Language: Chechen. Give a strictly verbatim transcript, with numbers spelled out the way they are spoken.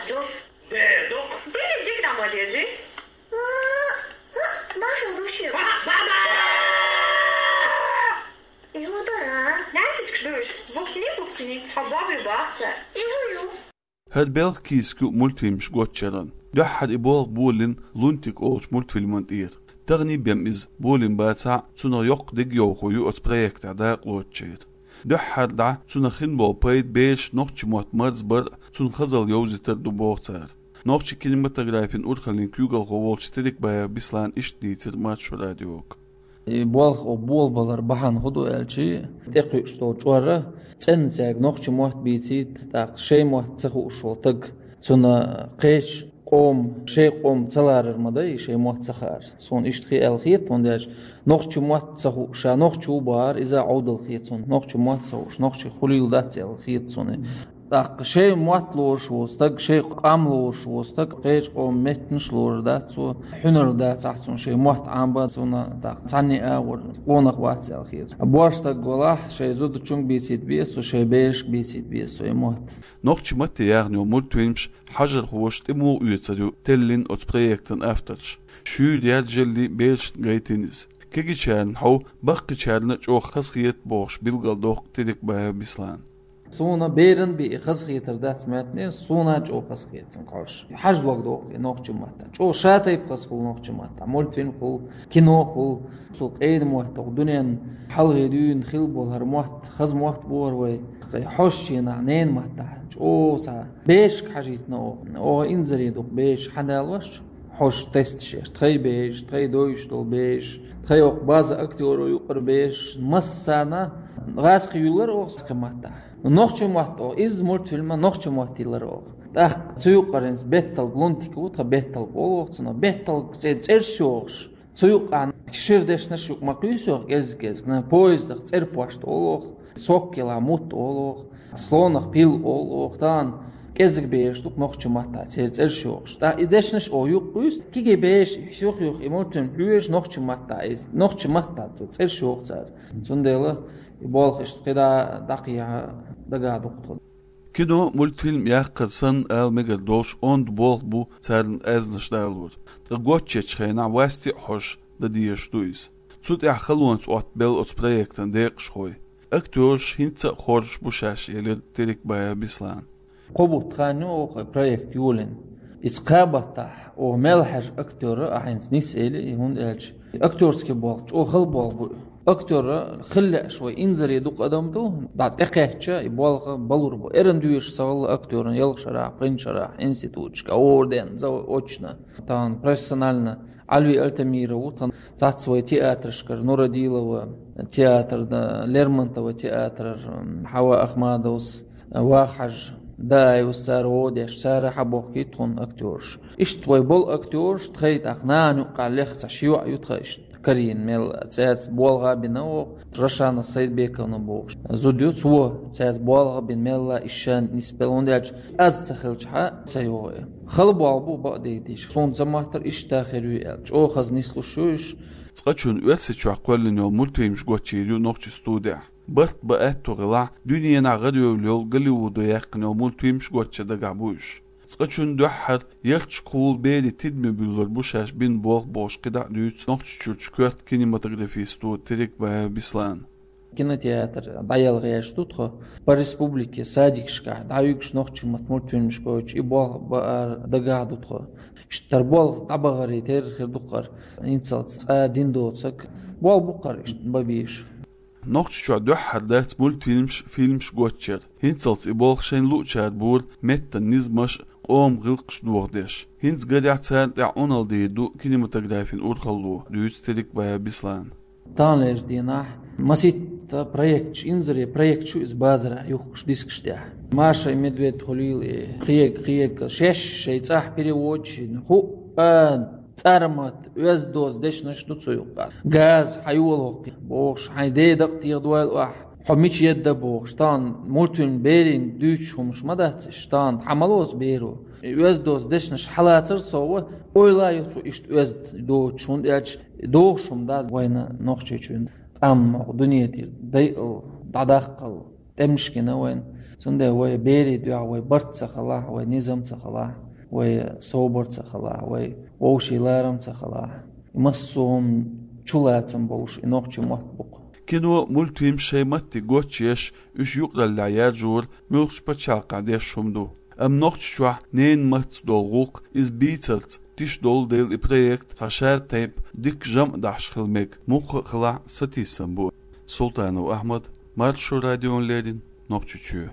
Док. Док. Дик, дик, дик, дамо держи. Маша, души. Мама! Его дара. Нянь тискаш дуйш. Буксини, буксини. Хабаби бахта. Иу, иу. ХӀара белх кийсак ю мультфильмаш гоччаран. Дуьххьара и болх болийна «Лунтик» олучу мультфильман тӀера. Тахана бен иза болийна бацахь а, цунах йоккха дегайовхо ю оцу проектехь дакъалоцучеран. Дуьххьара дӀа цунах хин болу пайда бераш нохчийн мотт марзбар а, цунна хазалла йовзийтар а ду боху цара. Нохчийн кинематографин урхаллин куьйгалхо волчу Терекбаев Беслана иштта дийцира Маршо радиога. И болх о болабалар бахьана хӀун ду аьлча, тӀекхуьуш долу чкъор, цӀена цаьрга нохчийн мотт бийцийта, тӀаккха шайн мотт ца хууш волу стаг, цунна кхечу къоман, шайн къоман ца ларар ма дай, шайн мотт ца хаар. Суна иштта хи аьлла хета, хӀунда аьлча нохчийн мотт ца хууш, ша нохчо ву бахара, иза Ӏовдал хета суна, нохчийн мотт ца хууш, нохчий хуьлийла дац аьлла хета суна. ТӀаккха шайн мотт лоруш волу стаг, шайн къам лоруш волу стаг, кхечу къоман меттанаш лоруш дац цо, хьуьнар дац ахь цунна шайн мотт Ӏамбан цунна, тӀаккха цхьанне а агӀор къонах вац аьлла хета. Боьрша стаг валахь, шайн зудчуьнга бийцийта беза цо, шайн берашка бийцийта беза цо и мотт. Нохчийн матте яхна йолу мультфильмаш хьажархоша тӀе муха оьцур ю, теллина оцу проектан авторша. Шуьйра яржаллий берашна гайтина иза. Кегийчарна хьовха, баккхийчарна а чӀогӀа хазахета бохуш билгалдоккху Терекбаев Беслана. Суна беран бен и хазахетар дац моьттина, суна а чӀогӀа хазахета цуьнга хьожуш. Хьажа лаг доху и нохчийн маттахь. ЧӀогӀа шатайпа хаза хуьлу нохчийн маттахь. Мультфильм хуьлу, кино хуьлу. Цул къена мотт, тӀаккха дуьненна хьалхе дуьйна хилла болу хӀара мотт, хаза мотт боху вай. Хьожучу хенахь ненан маттахь чӀогӀа цхьа берашка хьажийтина оха. Оха инзаре ду-кх бераш хьадалош. Хьожуш тесташ еш, тхайн бераш, тхайн дойуш долу бераш, тхайн оха база актёро юкъара бераш, массарна гӀазкхи юьллар оха кхин маттахь. Нохчийн мотт оха, изза мультфильма нохчийн мотт йиллар оха. ТӀаккха цу юкъара хӀинца бетталг, «Лунтик» ву тхан бетталг олу оха цунах, бетталг цӀе-, цӀераш йохуш. Цу юкъахь шира дешнаш юкъа ма кхуьйсу оха кӀезиг-кӀезиг, на, поездах цӀерпошта олу оха, соккелахь мутт олу оха, слонах пил олу оха, тахана кӀезиг бераш ду-кх нохчийн маттахь церан цӀераш йохуш. ТӀаккха и дешнаш оха юкъа кхуьйсу, кегий бераш юх-юх и мультфильм хьоьжуш нохчийн маттахь иза, нохчийн маттахь цу цӀераш йоху цара. Цундела и болх иштта кхидӀа дӀакхехьа дагахь ду-кх тхуна. Кино, мультфильм яккхар санна ала мегар долуш онда болх бу царна аьзнаш далор. Ткъа гочдечу хенахь васти а хьожуш дан дезаш ду иза. Цу тӀехь халонца оттабелла оцу проектан декъашхой. Актёраш хӀинца а хоржуш бу шаьш, элира Терекбаев Беслана. Кхо бутт хан ю оха проект йолийна. Иза кхаа баттахь оха мел хьажа актёр а хӀинца нис эли, и хӀунда аьлча актёрский болх чӀогӀа хала болх бу. Актёр хила лаьаш вай инзаре дукха адам ду, дӀа тӀекхаьчча, и болх балур бу. Эрна доьшуш ца хилла актёран ялх шарахь, пхи шарахь, институташка, орден, заочно. Тахана профессионально Ӏалви Альтамиров ву, тхан цхьацца вай театрашкара, Нурадилова театр, да, Лермонтова театр, Хьава Ахмадовс, Вахьажа, Даевс, цара гӀо деш, цара хьабохкий тхуна актёраш. Иштта вай болу актёраш тхайн тӀаккха нана юккъехь лех цхьа ши йоӀ ю тхан иштта. Карийна мел цаьрца болх а бина оха, Рашана Сайдбековна бохуш зуда ю, цо цаьрца болх а бина мелла ишшан нисбелла, хӀунда аьлча аз ца хилчахьа ца йогӀу. Хала болх бу бакъдийдийша. Суна ца моттара иштта хир ю аьлла. ЧӀогӀа хаза нислуш ю уьш. Цкъачунна Оьрсийчохь кхоьллина йолу мультфильмаш гочйийр ю нохчийн студехь. Барт бан аьтту хилахь, дуьненахь гӀаравевлла йолу Голливудо яьккхина йолу мультфильмаш гочйа дагахь бу уьш. Цкъачунна дуьххьара ярташкахула берийн тидаме буьллар бу шаьш бина болх бохуш кхидӀа а дуьйцу Нохчийчуьрчу коьрта кинематографистан студе Терекбаев Беслана. Кинотеатр дӀаяла гӀерташ ду тхо. По республике садикашкахь дӀаюьгуш нохчийн маттахь мультфильмаш гойтуш, и болх баар дагахь ду тхо. Иштта тхара болх дӀабахаре терра хир ду-кх хӀара. ХӀинцалц цкъа дина доцург болх бу-кх хӀара иштта бан безаш. Нохчийчохь дуьххьара дац мультфильмаш, фильмаш гочйар. ХӀинцалц и болх шайна луъучара бора меттан низамаш а, къоман гӀиллакхаш а дохадеш. ХӀинца гарехь царна тӀехь Ӏуналла дийр ду кинематографин урхалло, дуьйцу Терекбаев Беслана. Таханлерчу дийнахь масийтта проекташ, инзаре проекташ ю иза базарахь юхкуш дискаш тӀехь. «Маша и Медведь» хуьлийла и, кхиерг, кхиерг, шаьш шайн цӀахь переводчийн хӀуъа, цӀармат, оьзда-доза дешнаш ду цу юккъехь. Газа хьайола хӀокху бохуш, хьайн ден дакъа техадойла ахь, хьо мича едда бохуш, тахана мультфильм берийн дуьйцуш хӀумаш ма дац уьш, тахана хьан ма лоцу беро. И оьзда-доза дешнаш хьалацар сов, ойла а йо цо иштта оьзда доцуш, хӀунда аьлча догӀуш хӀума дац вайна Нохчийчоьнан тӀам, хӀокху дуьне тӀера дайъал, дӀадаккхал. тӀемаш гина вайна. Цундела вай берийн дуьхьа вай барт ца хилахь, вай низам ца хилахь, вай собар ца хилахь, вай вовшийн ларам ца хилахь, и массо а хӀума чулацам болуш и нохчийн мотт бу-кх. Кино, мультфильм шайн матте гочъеш, уьш юкъараллехь яржор муьлххачу пачхьалкхехь деш хӀума ду. Амма Нохчийчохь ненан маттаца долу гӀуллакх иза бийцарца тиша долу дела, и проект цхьа шаьртайпа дикка жамӀ дахьаш хила мега, муьлхха а хилахь сатийсам бу. Султанов Ахьмад, Маршо радиона леррина, Нохчийчоь.